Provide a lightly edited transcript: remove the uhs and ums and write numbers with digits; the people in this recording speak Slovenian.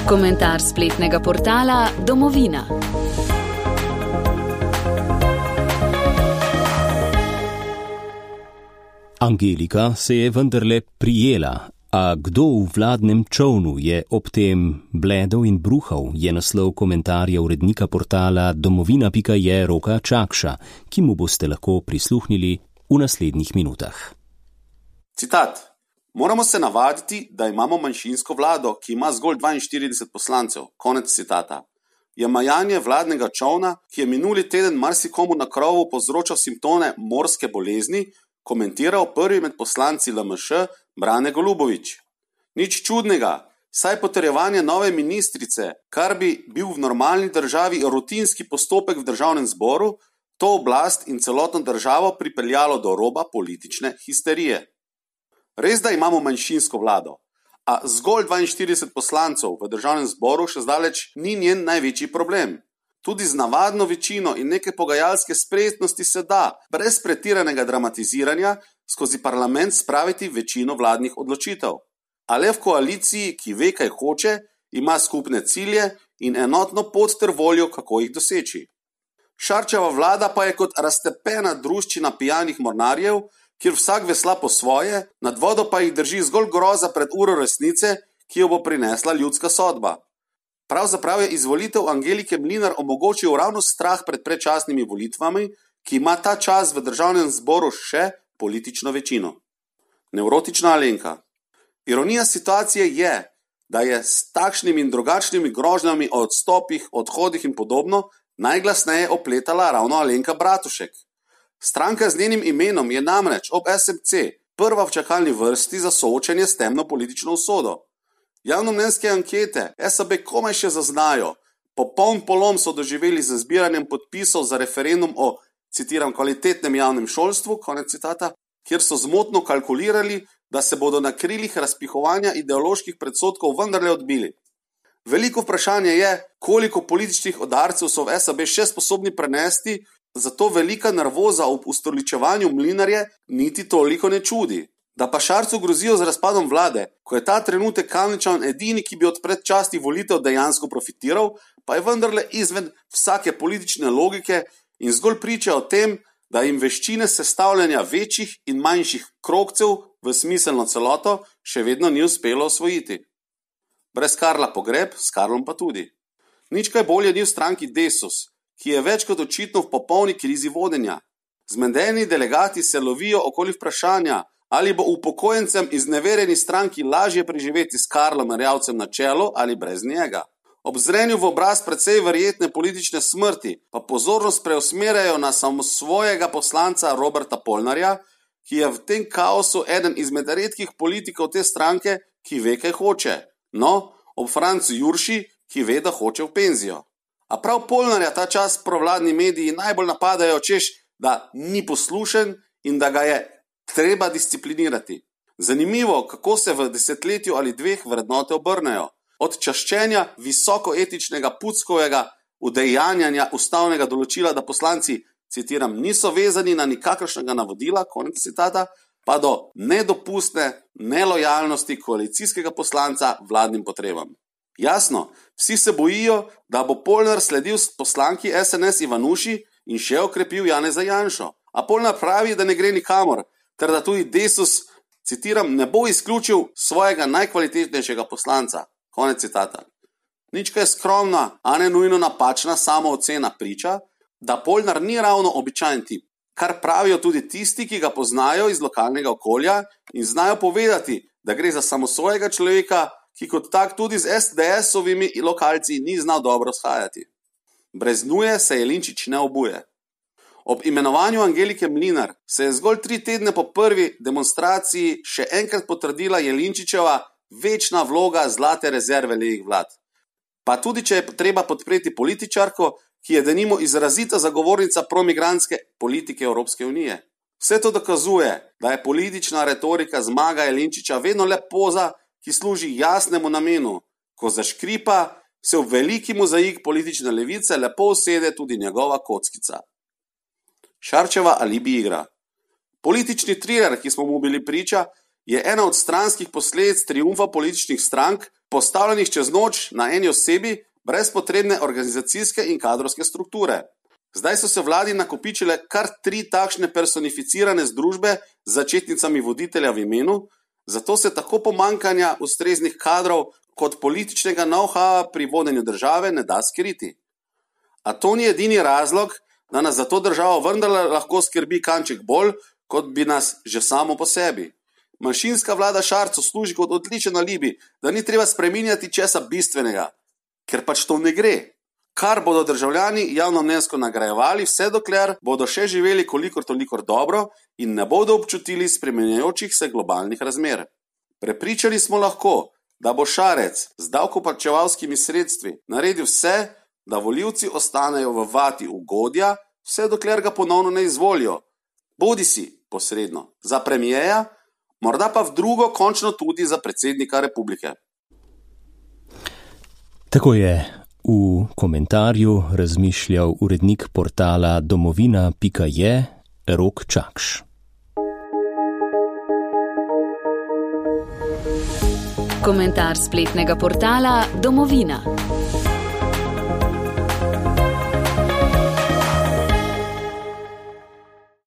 Komentar spletnega portala Domovina. Angelika se je vendarle prijela, a kdo v vladnem čovnu je ob tem bledel in bruhal, je naslov komentarja urednika portala domovina.je Roka Čakša, ki mu boste lahko prisluhnili v naslednjih minutah. Citat. Moramo se navaditi, da imamo manjšinsko vlado, ki ima zgolj 42 poslancev. Konec citata. Je majanje vladnega čovna, ki je minuli teden marsikomu na krovu povzročal simptome morske bolezni, komentiral prvi med poslanci LMŠ Brane Golubović. Nič čudnega, saj potrjevanje nove ministrice, kar bi bil v normalni državi rutinski postopek v državnem zboru, to oblast in celotno državo pripeljalo do roba politične histerije. Res, da imamo manjšinsko vlado, a zgolj 42 poslancev v državnem zboru še zdaleč ni njen največji problem. Tudi z navadno večino in neke pogajalske spretnosti se da, brez pretiranega dramatiziranja, skozi parlament spraviti večino vladnih odločitev. A le v koaliciji, ki ve, kaj hoče, ima skupne cilje in enotno pot ter voljo, kako jih doseči. Šarčeva vlada pa je kot raztepena druščina pijanih mornarjev, kjer vsak vesla po svoje, nad vodo pa jih drži zgolj groza pred uro resnice, ki jo bo prinesla ljudska sodba. Pravzaprav je izvolitev Angelike Mlinar omogočil ravno strah pred predčasnimi volitvami, ki ima ta čas v državnem zboru še politično večino. Nevrotična Alenka. Ironija situacije je, da je s takšnimi in drugačnimi grožnjami o odstopih, odhodih in podobno najglasneje opletala ravno Alenka Bratušek. Stranka z njenim imenom je namreč ob SMC prva v čakalni vrsti za soočenje s temno politično usodo. Javnomnenjske ankete SAB komaj še zaznajo. Popoln polom so doživeli z zbiranjem podpisov za referendum o, citiram, kvalitetnem javnem šolstvu, konec citata, kjer so zmotno kalkulirali, da se bodo na krilih razpihovanja ideoloških predsodkov vendarle odbili. Veliko vprašanje je, koliko političnih udarcev so v SAB še sposobni prenesti, zato velika nervoza ob ustoličevanju Mlinarje niti toliko ne čudi. Da pa Šarcu grozijo z razpadom vlade, ko je ta trenutek Kamničan edini, ki bi od predčasnih volitev dejansko profitiral, pa je vendarle izven vsake politične logike in zgolj priča o tem, da jim veščine sestavljanja večjih in manjših krogcev v smiselno celoto še vedno ni uspelo osvojiti. Brez Karla pogreb, s Karlom pa tudi. Nič kaj bolje ni v stranki Desus, ki je več kot očitno v popolni krizi vodenja. Zmedeni delegati se lovijo okoli vprašanja, ali bo upokojencem izneverjeni stranki lažje preživeti s Karlom Erjavcem na čelu ali brez njega. Ob zrenju v obraz precej verjetne politične smrti pa pozornost preusmerjajo na samosvojega poslanca Roberta Polnarja, ki je v tem kaosu eden izmed redkih politikov te stranke, ki ve, kaj hoče. No, ob Francu Jurši, ki ve, da hoče v penzijo. A prav Polnarja ta čas provladni mediji najbolj napadajo, češ, da ni poslušen in da ga je treba disciplinirati. Zanimivo, kako se v desetletju ali dveh vrednote obrnejo. Od čaščenja visokoetičnega Puckovega udejanjanja ustavnega določila, da poslanci, citiram, niso vezani na nikakršnega navodila, konec citata, pa do nedopustne nelojalnosti koalicijskega poslanca vladnim potrebam. Jasno, vsi se bojijo, da bo Polnar sledil poslanki SNS Ivanuši in še okrepil Janeza Janšo. A Polnar pravi, da ne gre nikamor, ter da tudi Desus, citiram, ne bo izključil svojega najkvalitetnejšega poslanca. Konec citata. Nič kaj skromna, a ne nujno napačna samoocena priča, da Polnar ni ravno običajen tip, kar pravijo tudi tisti, ki ga poznajo iz lokalnega okolja in znajo povedati, da gre za samosvojega človeka, ki kot tak tudi z SDS-ovimi lokalci ni znal dobro shajati. Brez nuje se Jelinčič ne obuje. Ob imenovanju Angelike Mlinar se je zgolj 3 tedne po prvi demonstraciji še enkrat potrdila Jelinčičeva večna vloga zlate rezerve levih vlad. Pa tudi, če je treba podpreti političarko, ki je denimo izrazita zagovornica promigrantske politike Evropske unije. Vse to dokazuje, da je politična retorika zmaga Jelinčiča vedno le poza, ki služi jasnemu namenu. Ko zaškripa, se v veliki mozaik politične levice lepo usede tudi njegova kockica. Šarčeva alibi igra. Politični triler, ki smo mu bili priča, je ena od stranskih posledic triumfa političnih strank, postavljenih čez noč na eni osebi, brez potrebne organizacijske in kadrovske strukture. Zdaj so se vladi nakopičile kar 3 takšne personificirane združbe z začetnicami voditelja v imenu, zato se tako pomanjkanja ustreznih kadrov kot političnega know-howa pri vodenju države ne da skriti. A to ni edini razlog, da nas za to državo vendarle lahko skrbi kanček bolj, kot bi nas že samo po sebi. Manjšinska vlada Šarcu služi kot odličen alibi, da ni treba spreminjati česa bistvenega, ker pač to ne gre. Kar bodo državljani javnomnenjsko nagrajevali, vse dokler bodo še živeli kolikor toliko dobro in ne bodo občutili spremenjajočih se globalnih razmer. Prepričani smo lahko, da bo Šarec z davkoplačevalskimi sredstvi naredil vse, da volivci ostanejo v vati ugodja, vse dokler ga ponovno ne izvolijo. Bodisi posredno za premijeja, morda pa v drugo končno tudi za predsednika republike. Tako je v komentarju razmišljal urednik portala domovina.je Rok Čakš. Komentar spletnega portala Domovina.